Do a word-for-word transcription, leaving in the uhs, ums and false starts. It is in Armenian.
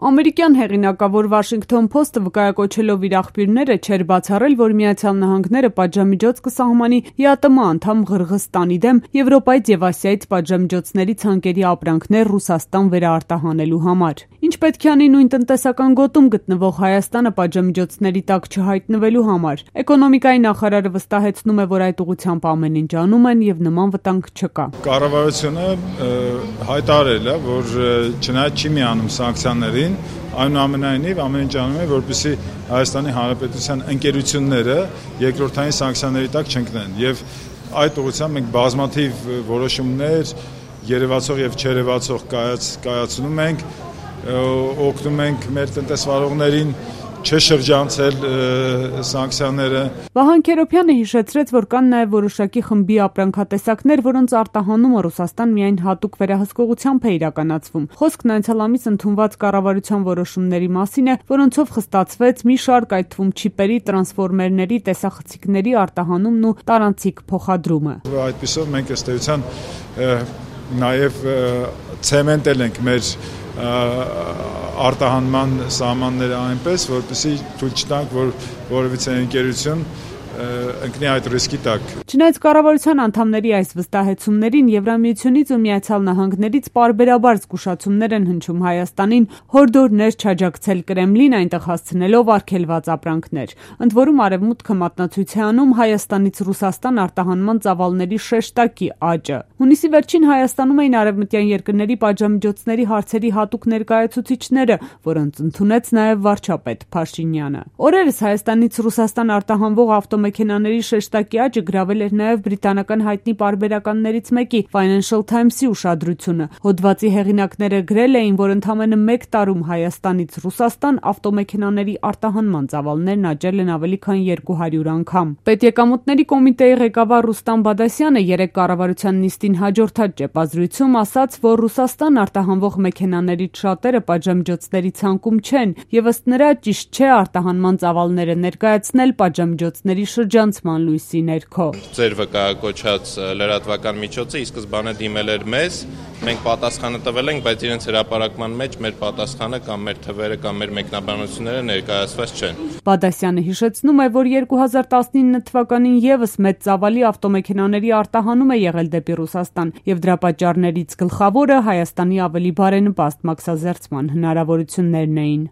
Ամերիկյան հեղինակավոր Washington Post-ը վկայակոչելով իր աղբյուրները չէր բացառել, որ Միացյալ Նահանգները պատժամիջոց կսահմանի ԵԱՏՄ անդամ Ղրղըզստանի դեմ Եվրոպայից եւ Ասիայից պատժամիջոցների ցանկերի ապրանքներ Ռուսաստան վերաարտահանելու համար։ Ինչ պետք է անի նույն տնտեսական գոտում գտնվող Հայաստանը պատժամիջոցների տակ չհայտնվելու համար։ Էկոնոմիկայի նախարարը վստահեցնում է, որ այդ ուղղությամբ ամեն ինչ անում են եւ նման վտանգ չկա։ Կառավարությունը հայտարարել է, որ չնայած չի միանում սանկցիաներին, այնուամենայնիվ ամեն ինչ անում է, որպեսզի Հայաստանի Հանրապետության ընկերությունները երկրորդային սանկցիաների տակ չընկնեն։ Եվ այդ ուղղությամբ մենք բազմաթիվ որոշումներ երևացող եւ չերևացող կայացնում ենք, օգնում ենք մեր տնտեսվարողներին չշրջանցել սանկցիաները։ Վահան Քերոբյանը հիշեցրեց, որ կան նաև որոշակի խմբի ապրանքատեսակներ, որոնց արտահանումը Ռուսաստան միայն հատուկ վերահսկողությամբ է իրականացվում։ Խոսքն անցյալ ամիս ընդունված կառավարության որոշումների մասին է, որոնցով խստացվեց մի շարք, այդ թվում չիպերի, տրանսֆորմերների, տեսախցիկների արտահանումն ու տարանցիկ փոխադրումը։ Այդպիսով մենք ըստ էության նաև ցեմենտել ենք մեր արտահանման սահմանները այնպես, որպեսզի թույլ չտանք, որ որևիցե ընկերություն ընկնի այդ ռիսկի տակ։ Չնայած կառավարության անդամների այս վստահեցումներին, Եվրամիությունից ու Միացյալ Նահանգներից պարբերաբար զգուշացումներ են հնչում Հայաստանին հորդորներ չաջակցել Կրեմլին, այնտեղ հասցնելով արգելված ապրանքներ։ Ընդ որում Արևմուտքը մատնացույց է անում Հայաստանից Ռուսաստան արտահանման ծավալների շեշտակի աճը։ Հունիսի վերջին Հայաստանում էին արևմտյան երկրների պատժամիջոցների հարցերի հատուկ ներկայացուցիչները, որոնց ընդունեց նաև վարչապետ Փաշինյանը։ Օրերս Հայաստանից Ռուսաստան արտահանվող ավտոմեքենաների շեշտակի աճը գրավել էր նաև բրիտանական հայտնի պարբերականներից մեկի Financial Times-ի ուշադրությունը։ Հոդվածի հեղինակները գրել էին, որ ընդամենը մեկ տարում Հայաստանից Ռուսաստան ավտոմեքենաների արտահանման ծավալներն աճել են ավելի քան երկու հարյուր անգամ։ Պետեկամուտների կոմիտեի ղեկավար Ռուստամ Բադասյանը երեկ կառավարության նիստին հաջորդած ճեպազրույցում ասաց, որ Ռուսաստան արտահանվող մեքենաներից շատերը պատժամիջոցների ցանկում չեն եւ ըստ նրա ճիշտ չէ արտահանման ծավալները ներկայացնել պատժամիջոցների շրջանցման լույսի ներքո։ Ձեր վկայակոչած լրատվական միջոցը ի սկզբանե դիմել էր մեզ, մենք պատասխանը տվել ենք, բայց իրենց հրապարակման մեջ մեր պատասխանը կամ մեր թվերը կամ մեր մեկնաբանությունները ներկայացված չեն։ Բադասյանը հիշեցնում է, որ երկու հազար տասնինը թվականին եւս մեծ ծավալի ավտոմեքենաների արտահանում է եղել դեպի Ռուսաստան եւ դրա պատճառներից գլխավորը Հայաստանի ավելի բարենպաստ մաքսազերծման հնարավորություններն էին։